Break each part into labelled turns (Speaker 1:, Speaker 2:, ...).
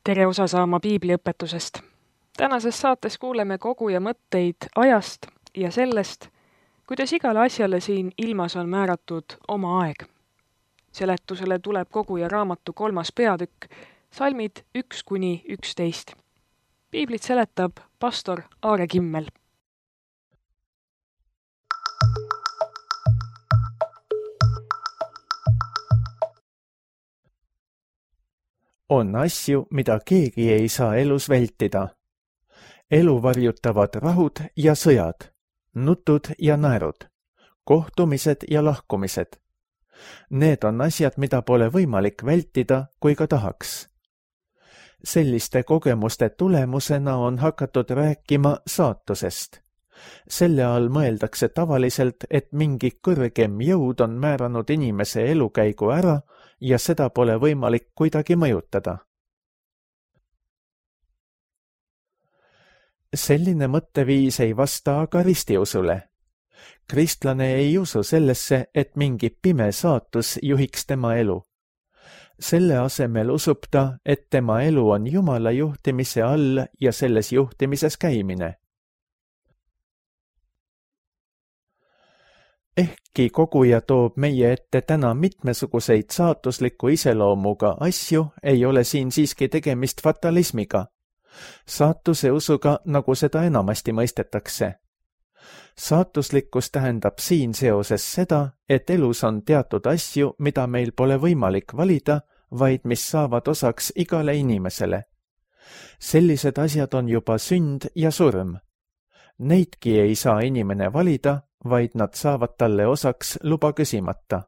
Speaker 1: Tere osa saama piibliõpetusest. Tänases saates kuuleme koguja mõtteid ajast ja sellest, kuidas igale asjale siin ilmas on määratud oma aeg. Seletusele tuleb koguja raamatu 3. peatükk, salmid 1–11. Piiblit seletab pastor Aare Kimmel.
Speaker 2: On asju, mida keegi ei saa elus vältida. Elu varjutavad rahud ja sõjad, nutud ja naerud, kohtumised ja lahkumised. Need on asjad, mida pole võimalik vältida, kui ka tahaks. Selliste kogemuste tulemusena on hakatud rääkima saatusest. Selle all mõeldakse tavaliselt, et mingi kõrgem jõud on määranud inimese elukäigu ära ja seda pole võimalik kuidagi mõjutada. Selline mõtteviis ei vasta aga ristiusule. Kristlane ei usu sellesse, et mingi pime saatus juhiks tema elu. Selle asemel usub ta, et tema elu on Jumala juhtimise all ja selles juhtimises käimine. Ehkki koguja toob meie ette täna mitmesuguseid saatusliku iseloomuga asju, ei ole siin siiski tegemist fatalismiga. Saatuse usuga, nagu seda enamasti mõistetakse. Saatuslikkus tähendab siin seoses seda, et elus on teatud asju, mida meil pole võimalik valida, vaid mis saavad osaks igale inimesele. Sellised asjad on juba sünd ja surm. Neidki ei saa inimene valida, vaid nad saavad talle osaks luba küsimata.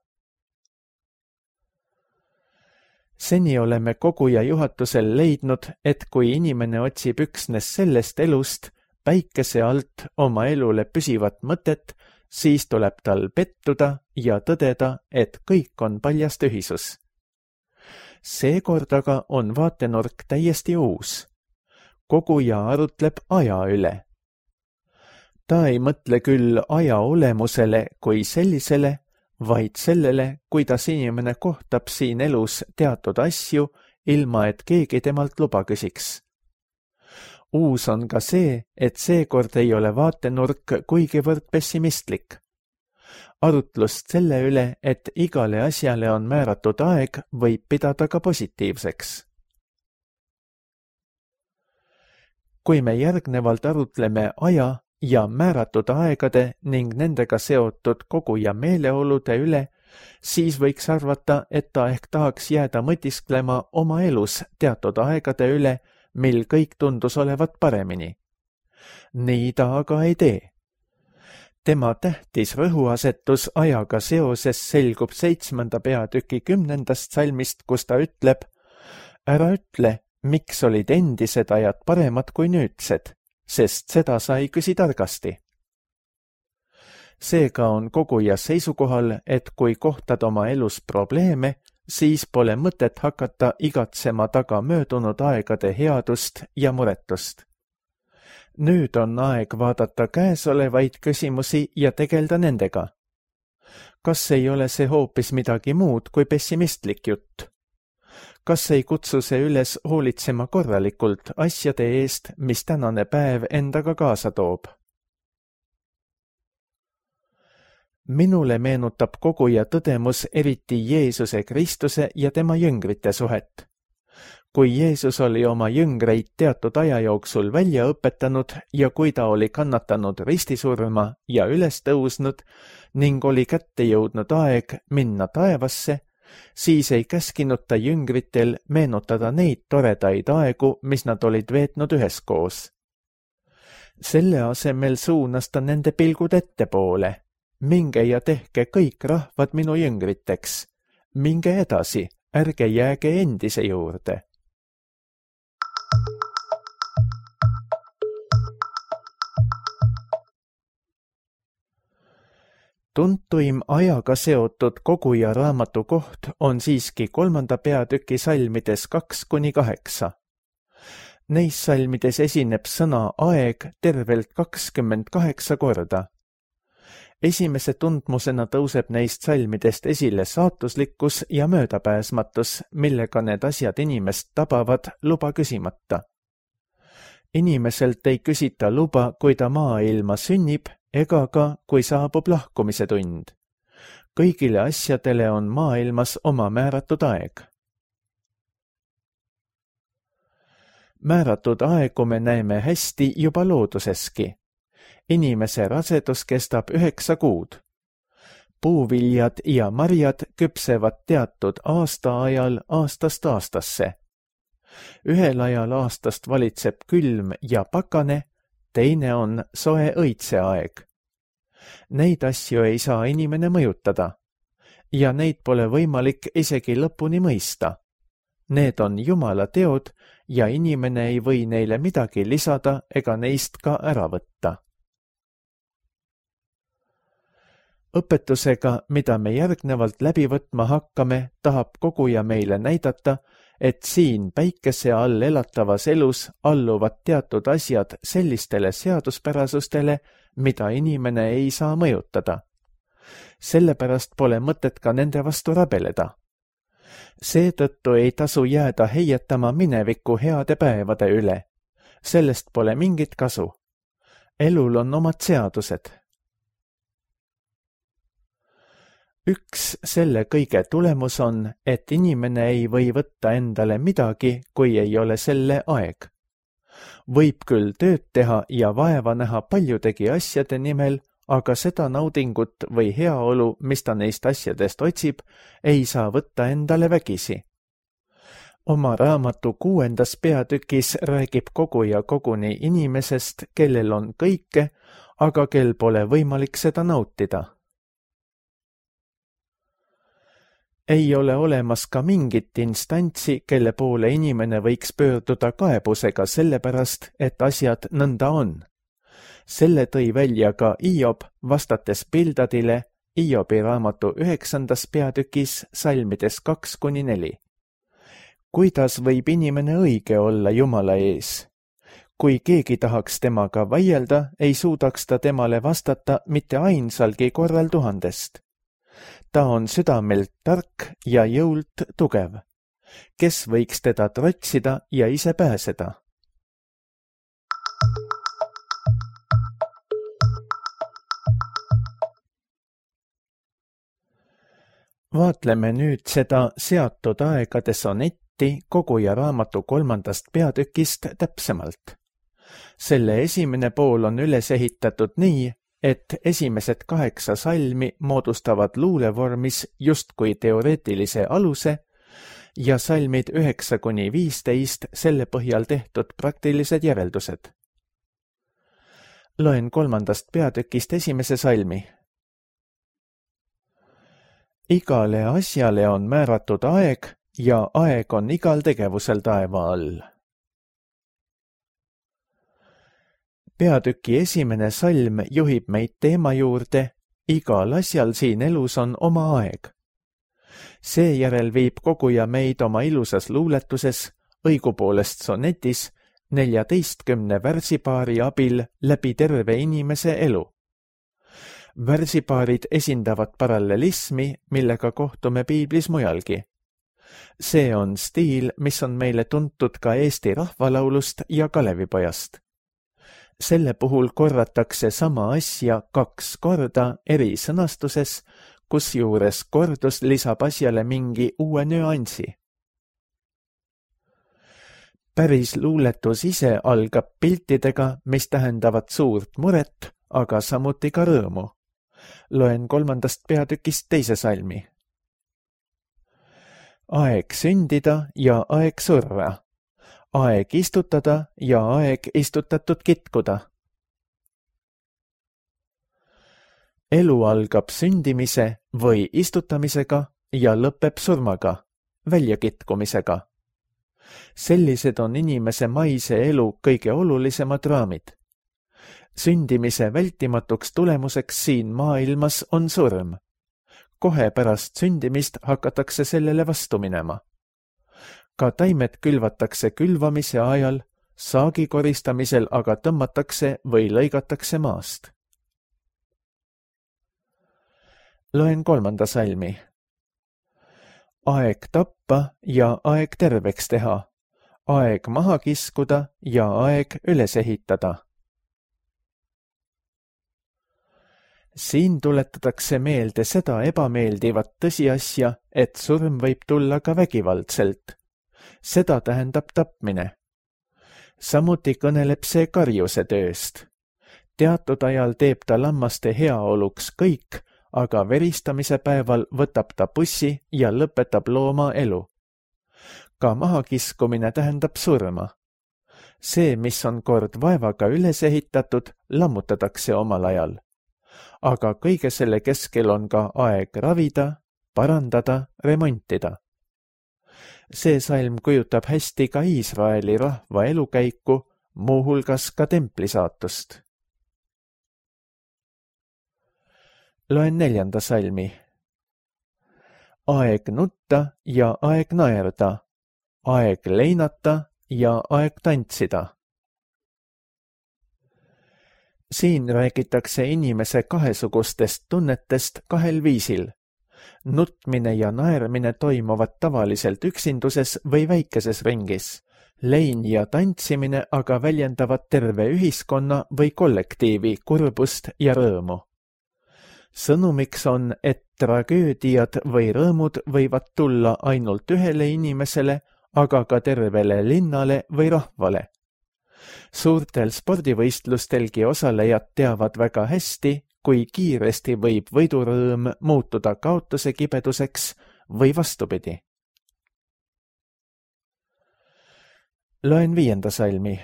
Speaker 2: Seni oleme koguja juhatusel leidnud, et kui inimene otsib üksnes sellest elust, päikese alt oma elule püsivat mõtet, siis tuleb tal pettuda ja tõdeda, et kõik on paljas tühisus. Seekord aga on vaatenurk täiesti uus. Koguja arutleb aja üle. Ta ei mõtle küll aja olemusele kui sellisele, vaid sellele, kuidas inimene kohtab siin elus teatud asju, ilma et keegi temalt luba küsiks. Uus on ka see, et seekord ei ole vaatenurk kuigivõrd pessimistlik. Arutlust selle üle, et igale asjale on määratud aeg, võib pidada ka positiivseks. Kui me järgnevalt arutleme aja ja määratud aegade ning nendega seotud koguja meeleolude üle, siis võiks arvata, et ta ehk tahaks jääda mõtisklema oma elus teatud aegade üle, mil kõik tundus olevat paremini. Nii ta aga ei tee. Tema tähtis rõhuasetus ajaga seoses selgub 7. peatüki 10. salmist, kus ta ütleb: ära ütle, miks olid endised ajad paremad kui nüüdsed, sest seda sai küsi targasti. Seega on koguja seisukohal, et kui kohtad oma elus probleeme, siis pole mõtet hakata igatsema taga möödunud aegade headust ja muretust. Nüüd on aeg vaadata käesolevaid küsimusi ja tegelda nendega. Kas ei ole see hoopis midagi muud kui pessimistlik jutt? Kas ei kutsu see üles hoolitsema korralikult asjade eest, mis tänane päev endaga kaasa toob? Minule meenutab koguja tõdemus eriti Jeesuse Kristuse ja tema jüngrite suhet. Kui Jeesus oli oma jüngreid teatud aja jooksul välja õpetanud ja kui ta oli kannatanud ristisurma ja üles tõusnud ning oli kätte jõudnud aeg minna taevasse, siis ei käskinud ta jüngritel meenutada neid toredaid aegu, mis nad olid veetnud üheskoos. Selle asemel suunas ta nende pilgud ettepoole. Minge ja tehke kõik rahvad minu jüngriteks. Minge edasi, ärge jääge endise juurde. Tuntuim ajaga seotud koguja raamatu koht on siiski 3. peatüki salmides 2–8. Neis salmides esineb sõna aeg tervelt 28 korda. Esimese tundmusena tõuseb neist salmidest esile saatuslikkus ja möödapääsmatus, millega need asjad inimest tabavad luba küsimata. Inimeselt ei küsita luba, kui ta maailma sünnib, ega ka, kui saabub lahkumise tund. Kõigile asjadele on maailmas oma määratud aeg. Määratud aegu me näeme hästi juba looduseski. Inimese rasedus kestab 9 kuud. Puuviljad ja marjad küpsevad teatud aastaajal aastast aastasse. Ühel ajal aastast valitseb külm ja pakane, teine on soe õitseaeg. Neid asju ei saa inimene mõjutada ja neid pole võimalik isegi lõpuni mõista. Need on Jumala teod ja inimene ei või neile midagi lisada ega neist ka ära võtta. Õpetusega, mida me järgnevalt läbi võtma hakkame, tahab koguja meile näidata, et siin päikese all elatavas elus alluvad teatud asjad sellistele seaduspärasustele, mida inimene ei saa mõjutada. Sellepärast pole mõtet ka nende vastu rabeleda. Seetõttu ei tasu jääda heietama mineviku heade päevade üle. Sellest pole mingit kasu. Elul on omad seadused. Üks selle kõige tulemus on, et inimene ei või võtta endale midagi, kui ei ole selle aeg. Võib küll tööd teha ja vaeva näha paljudegi asjade nimel, aga seda naudingut või heaolu, mis ta neist asjadest otsib, ei saa võtta endale vägisi. Oma raamatu 6. peatükis räägib koguja koguni inimesest, kellel on kõike, aga kel pole võimalik seda nautida. Ei ole olemas ka mingit instantsi, kelle poole inimene võiks pöörduda kaebusega sellepärast, et asjad nõnda on. Selle tõi välja ka Hiob, vastates Bildadile Hiobi raamatu 9. peatükis salmides 2-4. Kuidas võib inimene õige olla Jumala ees? Kui keegi tahaks temaga vaielda, ei suudaks ta temale vastata mitte ainsalgi korral 1000. Ta on südamelt tark ja jõult tugev. Kes võiks teda trotsida ja ise pääseda? Vaatleme nüüd seda seatud aegade sonetti koguja raamatu 3. peatükist täpsemalt. Selle esimene pool on üles ehitatud nii, et esimesed 8 salmi moodustavad luulevormis justkui teoreetilise aluse ja salmid 9-15 selle põhjal tehtud praktilised järeldused. Loen 3. peatükist esimese salmi. Igale asjale on määratud aeg ja aeg on igal tegevusel taeva all. Peatüki esimene salm juhib meid teema juurde, igal asjal siin elus on oma aeg. Seejärel viib koguja meid oma ilusas luuletuses, õigupoolest sonetis, 14 värsipaari abil läbi terve inimese elu. Värsipaarid esindavad parallelismi, millega kohtume piiblis mujalgi. See on stiil, mis on meile tuntud ka Eesti rahvalaulust ja Kalevipojast. Selle puhul korratakse sama asja 2 korda eri sõnastuses, kusjuures kordus lisab asjale mingi uue nüansi. Päris luuletus ise algab piltidega, mis tähendavad suurt muret, aga samuti ka rõõmu. Loen 3. peatükist 2. salmi. Aeg sündida ja aeg surra. Aeg istutada ja aeg istutatud kitkuda. Elu algab sündimise või istutamisega ja lõpeb surmaga, väljakitkumisega. Sellised on inimese maise elu kõige olulisemad raamid. Sündimise vältimatuks tulemuseks siin maailmas on surm. Kohe pärast sündimist hakatakse sellele vastu minema. Ka taimed külvatakse külvamise ajal, saagi koristamisel aga tõmmatakse või lõigatakse maast. Loen 3. salmi. Aeg tappa ja aeg terveks teha, aeg maha kiskuda ja aeg üles ehitada. Siin tuletatakse meelde seda ebameeldivat tõsiasja, et surm võib tulla ka vägivaldselt. Seda tähendab tapmine. Samuti kõneleb see karjuse tööst. Teatud ajal teeb ta lammaste heaoluks kõik, aga veristamise päeval võtab ta pussi ja lõpetab looma elu. Ka mahakiskumine tähendab surma. See, mis on kord vaevaga üles ehitatud, lammutatakse omal ajal. Aga kõige selle keskel on ka aeg ravida, parandada, remontida. See salm kujutab hästi ka Iisraeli rahva elukäiku, muuhulgas ka templi saatust. Loen 4. salmi. Aeg nutta ja aeg naerda, aeg leinata ja aeg tantsida. Siin räägitakse inimese kahesugustest tunnetest kahel viisil. Nutmine ja naermine toimuvad tavaliselt üksinduses või väikeses ringis. Lein ja tantsimine aga väljendavad terve ühiskonna või kollektiivi kurbust ja rõõmu. Sõnumiks on, et tragöödiad või rõõmud võivad tulla ainult ühele inimesele, aga ka tervele linnale või rahvale. Suurtel spordivõistlustelgi osalejad teavad väga hästi, kui kiiresti võib võidurõõm muutuda kaotuse kibeduseks või vastupidi. Loen 5. salmi.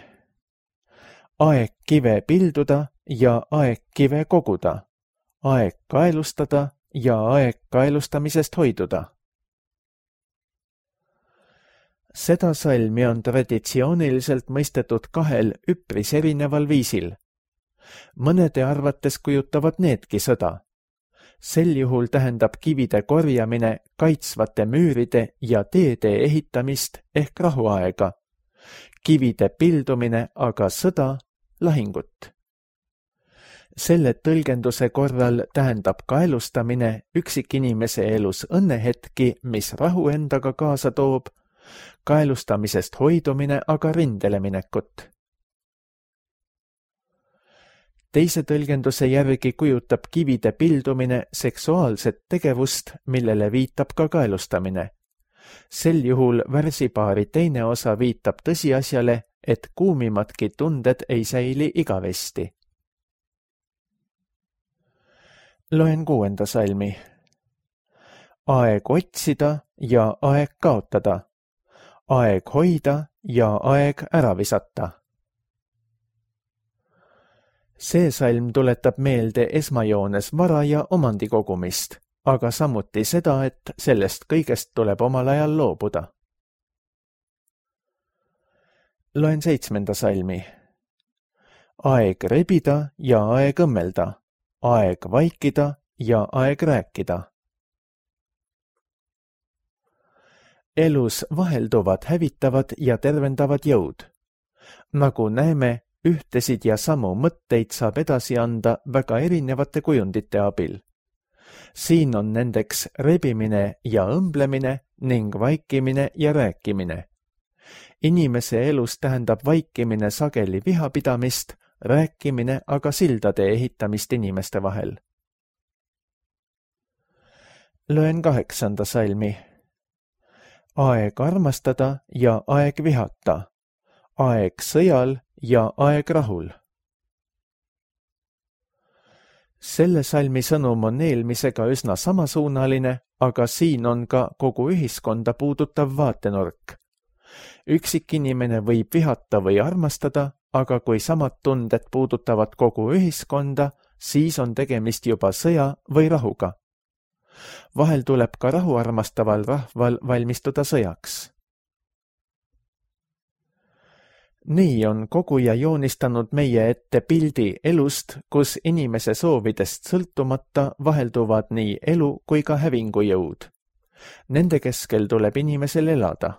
Speaker 2: Aeg kive pilduda ja aeg kive koguda, aeg kaelustada ja aeg kaelustamisest hoiduda. Seda salmi on traditsiooniliselt mõistetud kahel üpris erineval viisil. Mõnede arvates kujutavad needki sõda. Sel juhul tähendab kivide korjamine kaitsvate müüride ja teede ehitamist ehk rahuaega. Kivide pildumine aga sõda, lahingut. Selle tõlgenduse korral tähendab kaelustamine üksikinimese elus õnnehetki, mis rahu endaga kaasa toob, kaelustamisest hoidumine aga rindele minekut. Teise tõlgenduse järgi kujutab kivide pildumine seksuaalset tegevust, millele viitab ka kaelustamine. Sel juhul värsipaari teine osa viitab tõsiasjale, et kuumimadki tunded ei säili igavesti. Loen 6. salmi. Aeg otsida ja aeg kaotada, aeg hoida ja aeg ära visata. See salm tuletab meelde esmajoones vara ja omandikogumist, aga samuti seda, et sellest kõigest tuleb omal ajal loobuda. Loen 7. salmi. Aeg rebida ja aeg õmmelda, aeg vaikida ja aeg rääkida. Elus vahelduvad hävitavad ja tervendavad jõud. Nagu näeme, ühtesid ja samu mõtteid saab edasi anda väga erinevate kujundite abil. Siin on nendeks rebimine ja õmblemine ning vaikimine ja rääkimine. Inimese elus tähendab vaikimine sageli vihapidamist, rääkimine aga sildade ehitamist inimeste vahel. Loen 8. salmi. Aeg armastada ja aeg vihata, aeg sõjal ja aeg rahul. Selle salmi sõnum on eelmisega üsna samasuunaline, aga siin on ka kogu ühiskonda puudutav vaatenurk. Üksikinimene võib vihata või armastada, aga kui samad tunded puudutavad kogu ühiskonda, siis on tegemist juba sõja või rahuga. Vahel tuleb ka rahuarmastaval rahval valmistuda sõjaks. Nii on koguja joonistanud meie ette pildi elust, kus inimese soovidest sõltumata vahelduvad nii elu kui ka hävingujõud. Nende keskel tuleb inimesel elada.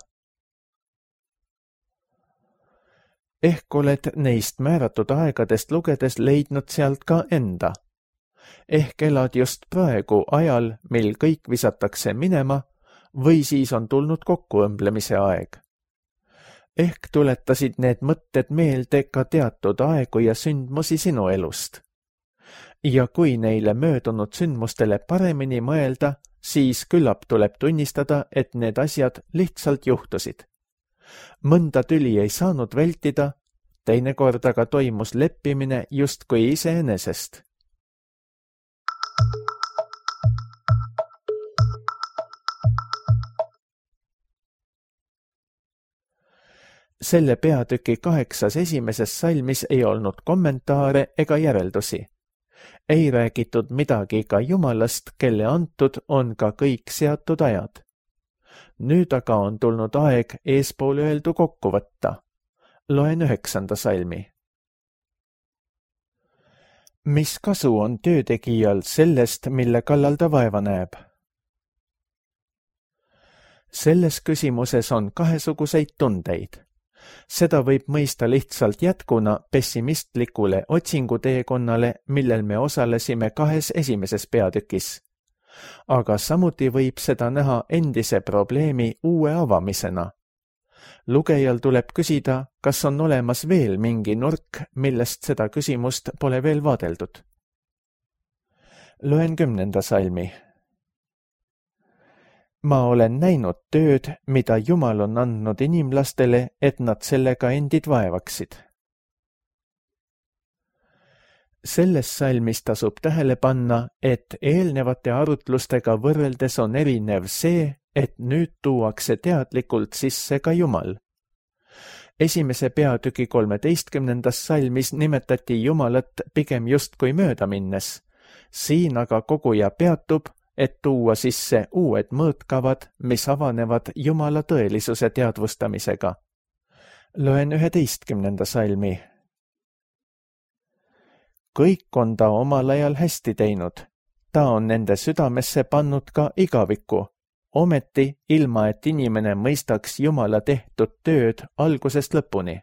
Speaker 2: Ehk oled neist määratud aegadest lugedes leidnud sealt ka enda. Ehk elad just praegu ajal, mil kõik visatakse minema, või siis on tulnud kokkuõmblemise aeg. Ehk tuletasid need mõtted meelde ka teatud aegu ja sündmusi sinu elust. Ja kui neile möödunud sündmustele paremini mõelda, siis küllap tuleb tunnistada, et need asjad lihtsalt juhtusid. Mõnda tüli ei saanud vältida, teinekord aga toimus leppimine justkui iseenesest. Selle peatüki 8 esimeses salmis ei olnud kommentaare ega järeldusi. Ei räägitud midagi ka Jumalast, kelle antud on ka kõik seatud ajad. Nüüd aga on tulnud aeg eespool öeldu kokku võtta. Loen 9. salmi. Mis kasu on töötegijal sellest, mille kallal ta vaeva näeb? Selles küsimuses on kahesuguseid tundeid. Seda võib mõista lihtsalt jätkuna pessimistlikule otsinguteekonnale, millel me osalesime 2 esimeses peatükis. Aga samuti võib seda näha endise probleemi uue avamisena. Lugejal tuleb küsida, kas on olemas veel mingi nurk, millest seda küsimust pole veel vaadeldud. Loen 10. salmi. Ma olen näinud tööd, mida Jumal on andnud inimlastele, et nad sellega endid vaevaksid. Selles salmis tasub tähele panna, et eelnevate arutlustega võrreldes on erinev see, et nüüd tuuakse teadlikult sisse ka Jumal. Esimese peatüki 13. salmis nimetati Jumalat pigem justkui mööda minnes. Siin aga koguja peatub, et tuua sisse uued mõõtkavad, mis avanevad Jumala tõelisuse teadvustamisega. Loen 11. salmi. Kõik on ta omal ajal hästi teinud. Ta on nende südamesse pannud ka igaviku, ometi ilma, et inimene mõistaks Jumala tehtud tööd algusest lõpuni.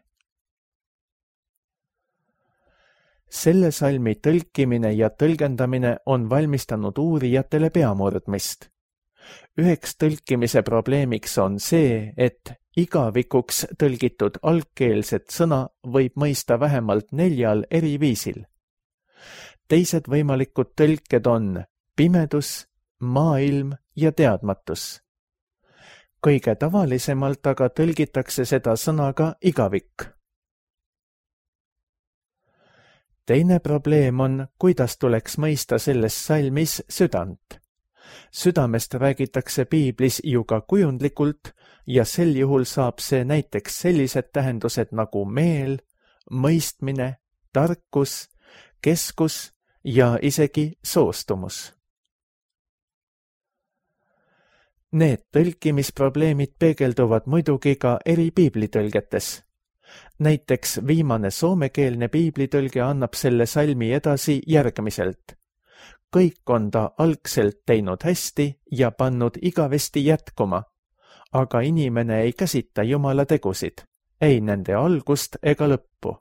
Speaker 2: Selle salmi tõlkimine ja tõlgendamine on valmistanud uurijatele peamurdmist. Üheks tõlkimise probleemiks on see, et igavikuks tõlgitud algkeelset sõna võib mõista vähemalt 4 eri viisil. Teised võimalikud tõlked on pimedus, maailm ja teadmatus. Kõige tavalisemalt aga tõlgitakse seda sõnaga igavik. Teine probleem on, kuidas tuleks mõista selles salmis südant. Südamest räägitakse piiblis ju ka kujundlikult ja sel juhul saab see näiteks sellised tähendused nagu meel, mõistmine, tarkus, keskus ja isegi soostumus. Need tõlkimisprobleemid peegelduvad muidugi ka eri piiblitõlgetes. Näiteks viimane soomekeelne piiblitõlge annab selle salmi edasi järgmiselt. Kõik on ta algselt teinud hästi ja pannud igavesti jätkuma, aga inimene ei käsita Jumala tegusid, ei nende algust ega lõppu.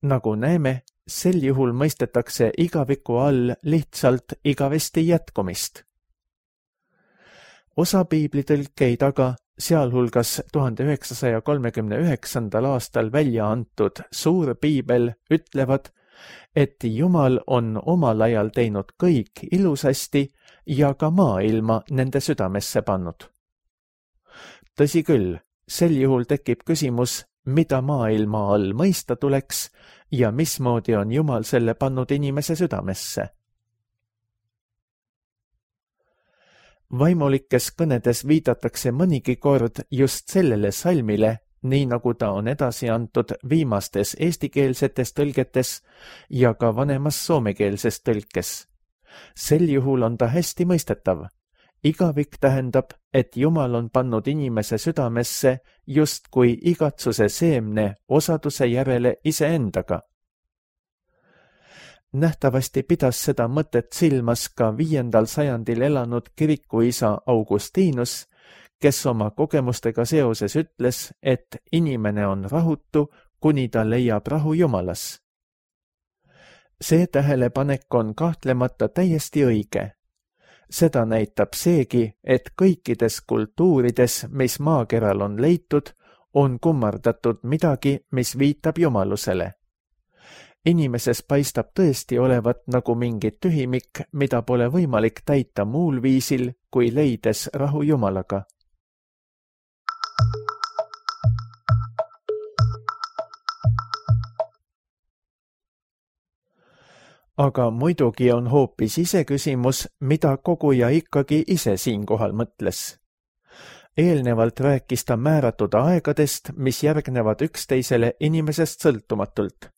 Speaker 2: Nagu näeme, sel juhul mõistetakse igaviku all lihtsalt igavesti jätkumist. Osa piiblitõlkeid aga, sealhulgas 1939. aastal välja antud suur piibel, ütlevad, et Jumal on omal ajal teinud kõik ilusasti ja ka maailma nende südamesse pannud. Tõsi küll, sel juhul tekib küsimus, mida maailma all mõista tuleks ja mismoodi on Jumal selle pannud inimese südamesse. Vaimulikes kõnedes viidatakse mõnigi kord just sellele salmile, nii nagu ta on edasi antud viimastes eestikeelsetes tõlgetes ja ka vanemas soomekeelses tõlkes. Sel juhul on ta hästi mõistetav. Igavik tähendab, et Jumal on pannud inimese südamesse justkui igatsuse seemne osaduse järele iseendaga. Nähtavasti pidas seda mõtet silmas ka 5. sajandil elanud kirikuisa Augustinus, kes oma kogemustega seoses ütles, et inimene on rahutu, kuni ta leiab rahu Jumalas. See tähelepanek on kahtlemata täiesti õige. Seda näitab seegi, et kõikides kultuurides, mis maakeral on leitud, on kummardatud midagi, mis viitab jumalusele. Inimeses paistab tõesti olevat nagu mingi tühimik, mida pole võimalik täita muul viisil, kui leides rahu Jumalaga. Aga muidugi on hoopis iseküsimus, mida koguja ikkagi ise siinkohal mõtles. Eelnevalt rääkis ta määratud aegadest, mis järgnevad üksteisele inimesest sõltumatult.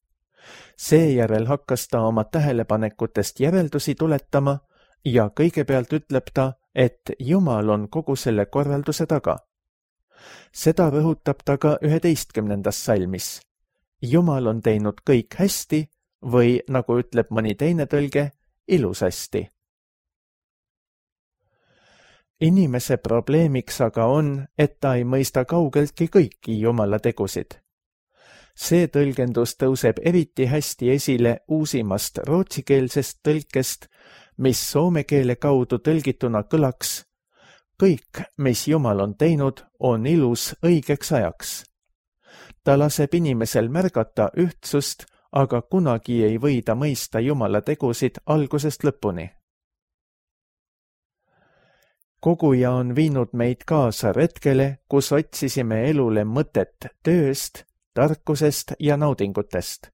Speaker 2: Seejärel hakkas ta oma tähelepanekutest järeldusi tuletama ja kõigepealt ütleb ta, et Jumal on kogu selle korralduse taga. Seda rõhutab ta ka 11. salmis. Jumal on teinud kõik hästi või, nagu ütleb mõni teine tõlge, ilusasti. Inimese probleemiks aga on, et ta ei mõista kaugeltki kõiki Jumala tegusid. See tõlgendus tõuseb eriti hästi esile uusimast rootsikeelsest tõlkest, mis soome keele kaudu tõlgituna kõlaks: kõik, mis Jumal on teinud, on ilus õigeks ajaks. Ta laseb inimesel märgata ühtsust, aga kunagi ei või ta mõista Jumala tegusid algusest lõpuni. Koguja on viinud meid kaasa retkele, kus otsisime elule mõtet tööst, tarkusest ja naudingutest.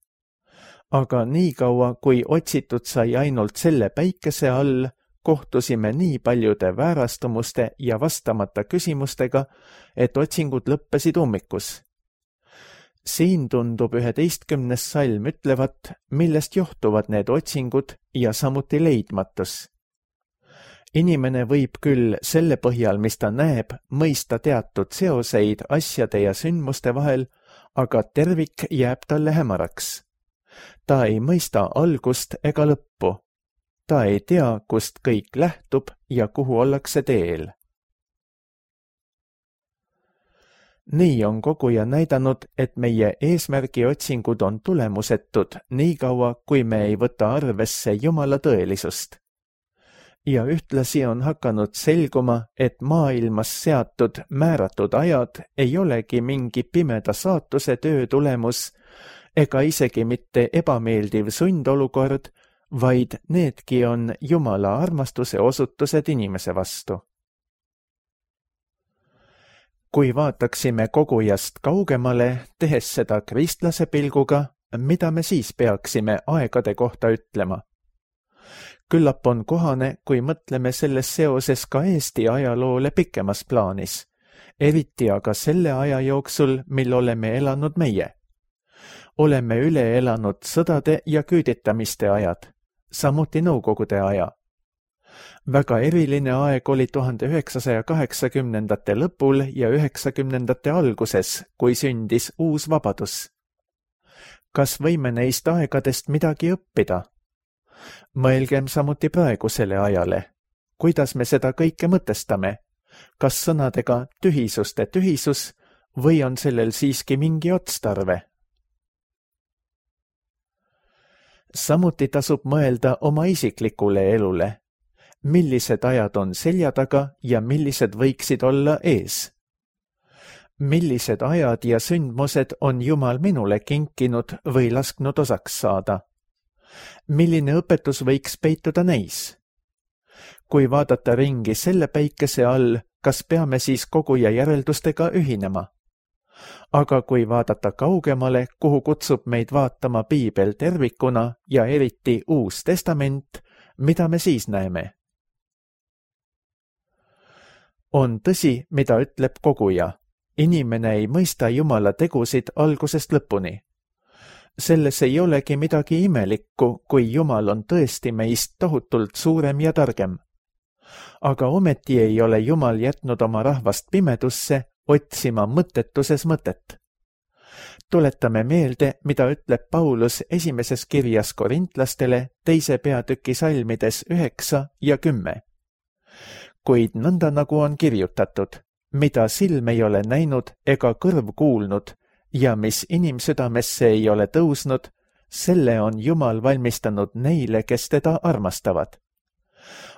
Speaker 2: Aga niikaua, kui otsitud sai ainult selle päikese all, kohtusime nii paljude väärastumuste ja vastamata küsimustega, et otsingud lõppesid ummikus. Siin tundub 11. salm ütlevat, millest johtuvad need otsingud ja samuti leidmatus. Inimene võib küll selle põhjal, mis ta näeb, mõista teatud seoseid asjade ja sündmuste vahel, aga tervik jääb talle hämaraks. Ta ei mõista algust ega lõppu. Ta ei tea, kust kõik lähtub ja kuhu ollakse teel. Nii on koguja näidanud, et meie eesmärgi otsingud on tulemusetud niikaua, kui me ei võta arvesse Jumala tõelisust. Ja ühtlasi on hakanud selguma, et maailmas seatud määratud ajad ei olegi mingi pimeda saatuse töö tulemus ega isegi mitte ebameeldiv sundolukord, vaid needki on Jumala armastuse osutused inimese vastu. Kui vaataksime kogujast kaugemale, tehes seda kristlase pilguga, mida me siis peaksime aegade kohta ütlema? Küllap on kohane, kui mõtleme selles seoses ka Eesti ajaloole pikemas plaanis, eriti aga selle aja jooksul, mil oleme elanud meie. Oleme üle elanud sõdade ja küüditamiste ajad, samuti Nõukogude aja. Väga eriline aeg oli 1980. lõpul ja 90. alguses, kui sündis uus vabadus. Kas võime neist aegadest midagi õppida? Mõelgem samuti praegusele ajale. Kuidas me seda kõike mõtestame? Kas sõnadega tühisuste tühisus või on sellel siiski mingi otstarve? Samuti tasub mõelda oma isiklikule elule. Millised ajad on selja taga ja millised võiksid olla ees? Millised ajad ja sündmused on Jumal minule kinkinud või lasknud osaks saada? Milline õpetus võiks peituda neis? Kui vaadata ringi selle päikese all, kas peame siis koguja järeldustega ühinema? Aga kui vaadata kaugemale, kuhu kutsub meid vaatama Piibel tervikuna ja eriti Uus Testament, mida me siis näeme? On tõsi, mida ütleb koguja. Inimene ei mõista Jumala tegusid algusest lõpuni. Selles ei olegi midagi imelikku, kui Jumal on tõesti meist tohutult suurem ja targem. Aga ometi ei ole Jumal jätnud oma rahvast pimedusse otsima mõttetuses mõtet. Tuletame meelde, mida ütleb Paulus esimeses kirjas korintlastele 2. peatüki salmides 9 ja 10. Kuid nõnda nagu on kirjutatud, mida silm ei ole näinud ega kõrv kuulnud, ja mis inimsüdamesse ei ole tõusnud, selle on Jumal valmistanud neile, kes teda armastavad.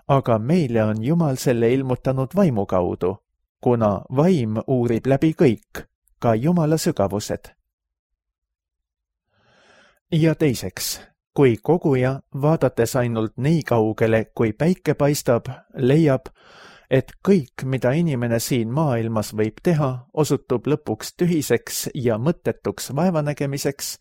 Speaker 2: Aga meile on Jumal selle ilmutanud vaimu kaudu, kuna vaim uurib läbi kõik, ka Jumala sügavused. Ja teiseks, kui koguja, vaadates ainult nii kaugele, kui päike paistab, leiab, et kõik, mida inimene siin maailmas võib teha, osutub lõpuks tühiseks ja mõttetuks vaevanägemiseks,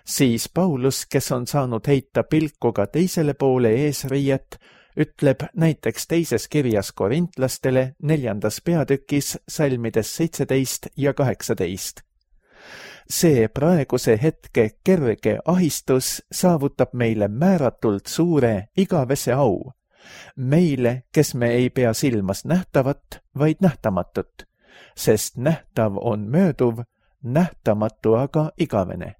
Speaker 2: siis Paulus, kes on saanud heita pilku ka teisele poole eesriiet, ütleb näiteks teises kirjas korintlastele 4. peatükis salmides 17 ja 18. See praeguse hetke kerge ahistus saavutab meile määratult suure igavese au. Meile, kes me ei pea silmas nähtavat, vaid nähtamatut, sest nähtav on mööduv, nähtamatu aga igavene.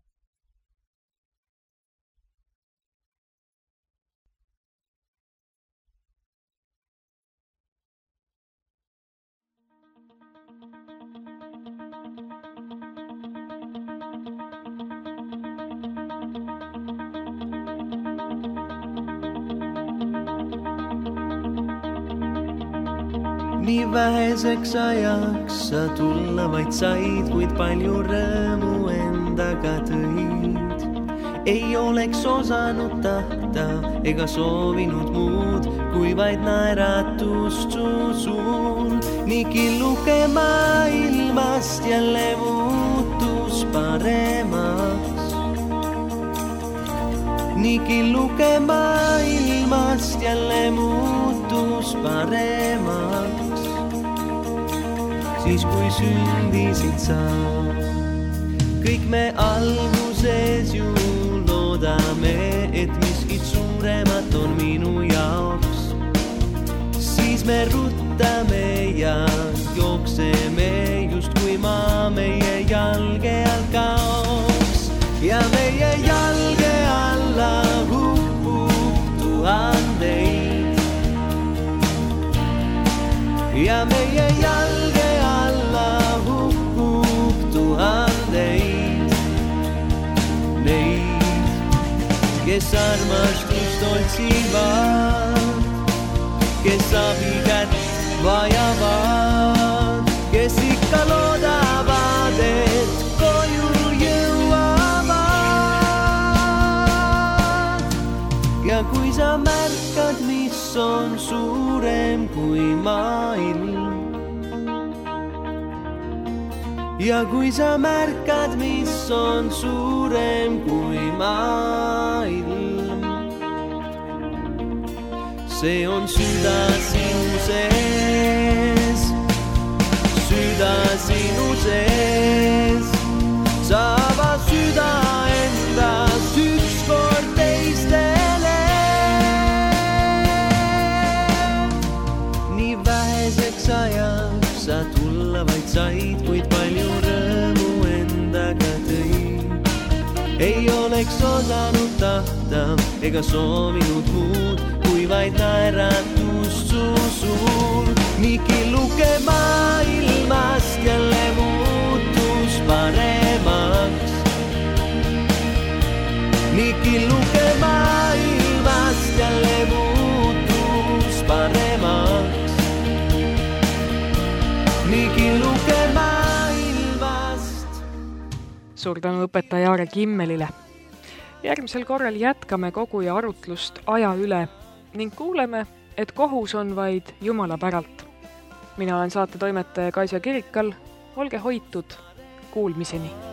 Speaker 3: Nii väheseks ajaks sa tulla vaid said, kuid palju rõõmu endaga tõid. Ei oleks osanud tahta ega soovinud muud, kui vaid naeratust su suul. Nii killuke maailmast jälle muutus paremaks. Nii killuke maailmast jälle muutus paremaks. Siis kui sündisid sa, kõik me alguses ju loodame, et miskit suuremat on minu jaoks. Siis me ruttame ja jookseme, just kui maa meie jalge all kaoks. Ja meie jalge alla huppub tuhandeid. Ja meie jalge alla hukkub tuhandeid. Neid, kes armastust otsivad, kes abikätt vajavad, kes ikka loodavad, et koju jõuavad. Ja kui sa märkad, mis on suurem kui maailm, ja kui sa märkad, mis on suurem kui maailm, see on süda sinu sees, süda sinu sees. Sa ava süda endast ükskord teistele. Nii väheseks ajaks sa tulla vaid said, kuid palju rõõmu endaga tõid. Ei oleks osanud tahta ega soovinud muud, kui vaid naeratust su suur. Nii killuke maailmast jälle muutus paremaks. Nii killuke maailmast jälle muutus paremaks. Nii killuke maailmast.
Speaker 1: Suur tänu õpetaja Aare Kimmelile. Järgmisel korral jätkame koguja arutlust aja üle ning kuuleme, et kohus on vaid Jumala päralt. Mina olen saatetoimetaja Kaisa Kirikal. Olge hoitud. Kuulmiseni.